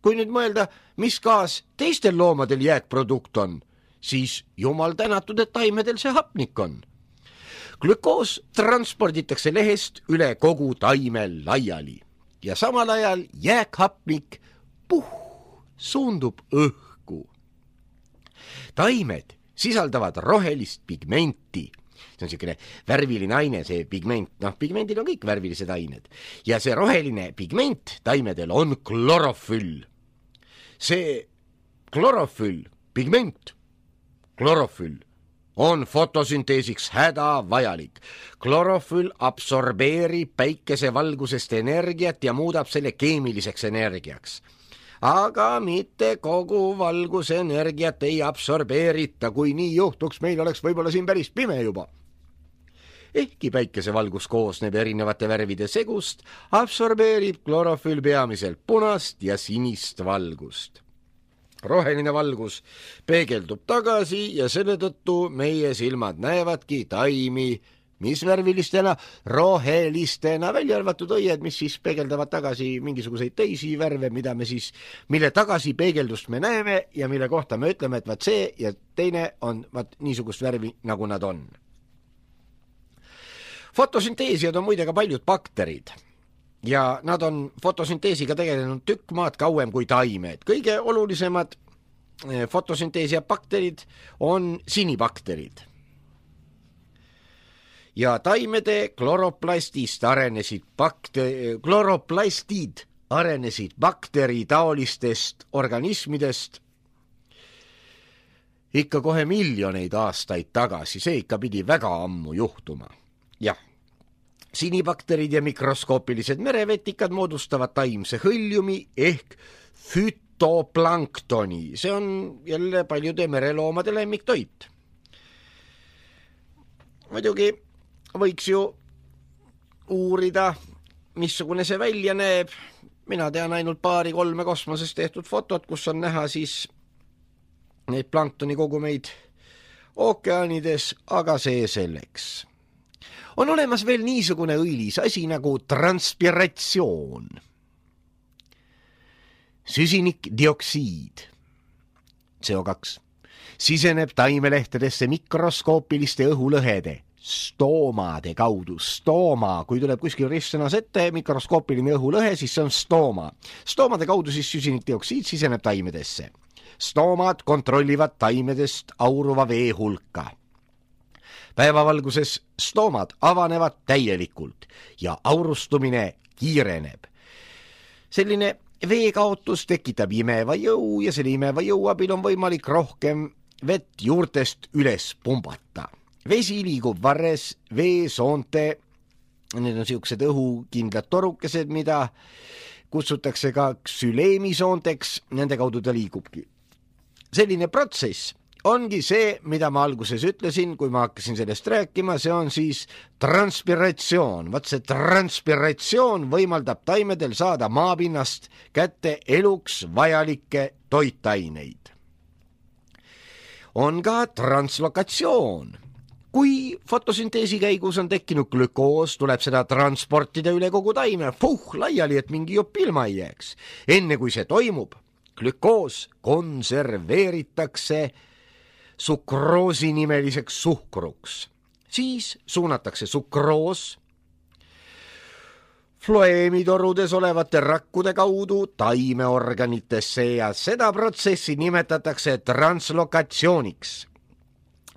Kui nüüd mõelda, mis gaas teistel loomadel jääkprodukt on, siis jumal tänatud, et taimedel see hapnik on. Glükoos transporditakse lehest üle kogu taime laiali ja samal ajal jääkhapnik puh, suundub õhku. Taimed sisaldavad rohelist pigmenti. See on selline värviline aine, see pigment. Noh, pigmendil on kõik värvilised ained. Ja see roheline pigment taimedel on klorofüll. See klorofüll, pigment, klorofüll on fotosünteesiks häda vajalik. Klorofüll absorbeerib päikesevalgusest energiat ja muudab selle keemiliseks energiaks. Aga mitte kogu valguse energiat ei absorbeerita, kui nii juhtuks, meil oleks võib-olla siin päris pime juba. Ehkki päikesevalgus koosneb erinevate värvide segust, absorbeerib klorofüll peamiselt punast ja sinist valgust. Roheline valgus peegeldub tagasi ja selle tõttu meie silmad näevadki taimi, mis värvilistena, rohelistena, välja arvatud õied, mis siis peegeldavad tagasi mingisuguseid teisi värve, mida me siis, mille tagasi peegeldust me näeme ja mille kohta me ütleme, et vaat see ja teine on vaat niisugust värvi, nagu nad on. Fotosünteesijad on muide ka paljud bakterid. Ja nad on fotosünteesiga tegelenud tükk maad kauem kui taimed. Kõige olulisemad fotosünteesia bakterid on sinibakterid. Ja taimede kloroplastist arenesid bakte- kloroplastid arenesid bakteritaolistest organismidest ikka kohe miljoneid aastaid tagasi. See ikka pidi väga ammu juhtuma. Jah. Sinibakterid ja mikroskoopilised merevetikad moodustavad taimse hõljumi ehk fütoplanktoni. See on jälle paljude mereloomade lemmiktoit. Muidugi võiks ju uurida, missugune see välja näeb. Mina tean ainult paari-kolme kosmoses tehtud fotot, kus on näha siis neid planktoni kogumeid ookeanides, aga see selleks. On olemas veel niisugune õilis asi nagu transpiratsioon. Süsinikdioksiid, C O kaks, siseneb taimelehtedesse mikroskoopiliste õhulõhede, stoomade kaudu. Stooma, kui tuleb kuskil ristsõnas ette mikroskoopiline õhulõhe, siis see on stooma. Stoomade kaudu siis süsinikdioksiid siseneb taimedesse. Stoomad kontrollivad taimedest auruva vee hulka. Päevavalguses stoomad avanevad täielikult ja aurustumine kiireneb. Selline veekaotus tekitab imeva jõu ja selle imeva jõu abil on võimalik rohkem vett juurtest üles pumbata. Vesi liigub varres veesoonte, need on siuksed õhukindlad torukesed, mida kutsutakse ka ksüleemisoonteks, nende kaudu ta liigubki. Selline protsess ongi see, mida ma alguses ütlesin, kui ma hakkasin sellest rääkima, see on siis transpiratsioon. Vaat see transpiratsioon võimaldab taimedel saada maapinnast kätte eluks vajalikke toitaineid. On ka translokatsioon. Kui fotosünteesi käigus on tekkinud glükoos, tuleb seda transportida üle kogu taime, puh, laiali, et mingi jupp ilma ei jääks. Enne kui see toimub, glükoos konserveeritakse sukroosi nimeliseks suhkruks. Siis suunatakse sukroos floeemitorudes olevate rakkude kaudu taimeorganitesse ja seda protsessi nimetatakse translokatsiooniks.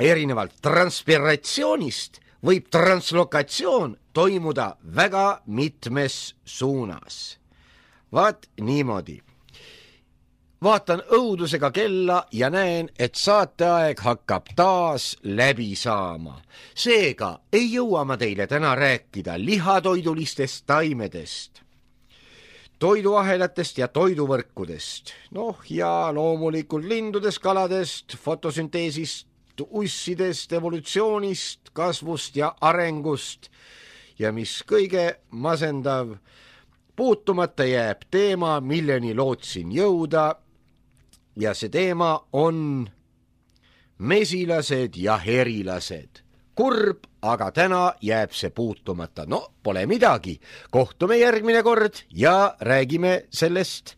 Erinevalt transpiratsioonist võib translokatsioon toimuda väga mitmes suunas. Vaat niimoodi. Vaatan õudusega kella ja näen, et saateaeg hakkab taas läbi saama. Seega ei jõua ma teile täna rääkida lihatoidulistest taimedest, toiduahelatest ja toiduvõrkudest, noh ja loomulikult lindudest, kaladest, fotosünteesist, ussidest, evolutsioonist, kasvust ja arengust ja mis kõige masendav, puutumata jääb teema, milleni lootsin jõuda ja see teema on mesilased ja herilased. Kurb, aga täna jääb see puutumata. No, pole midagi. Kohtume järgmine kord ja räägime sellest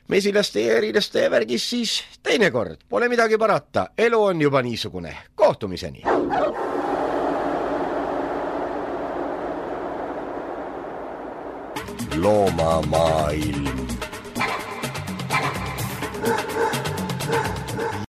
mesilaste ja herilaste värgis siis teinekord. Pole midagi parata. Elu on juba niisugune. Kohtumiseni. Loomamaailm.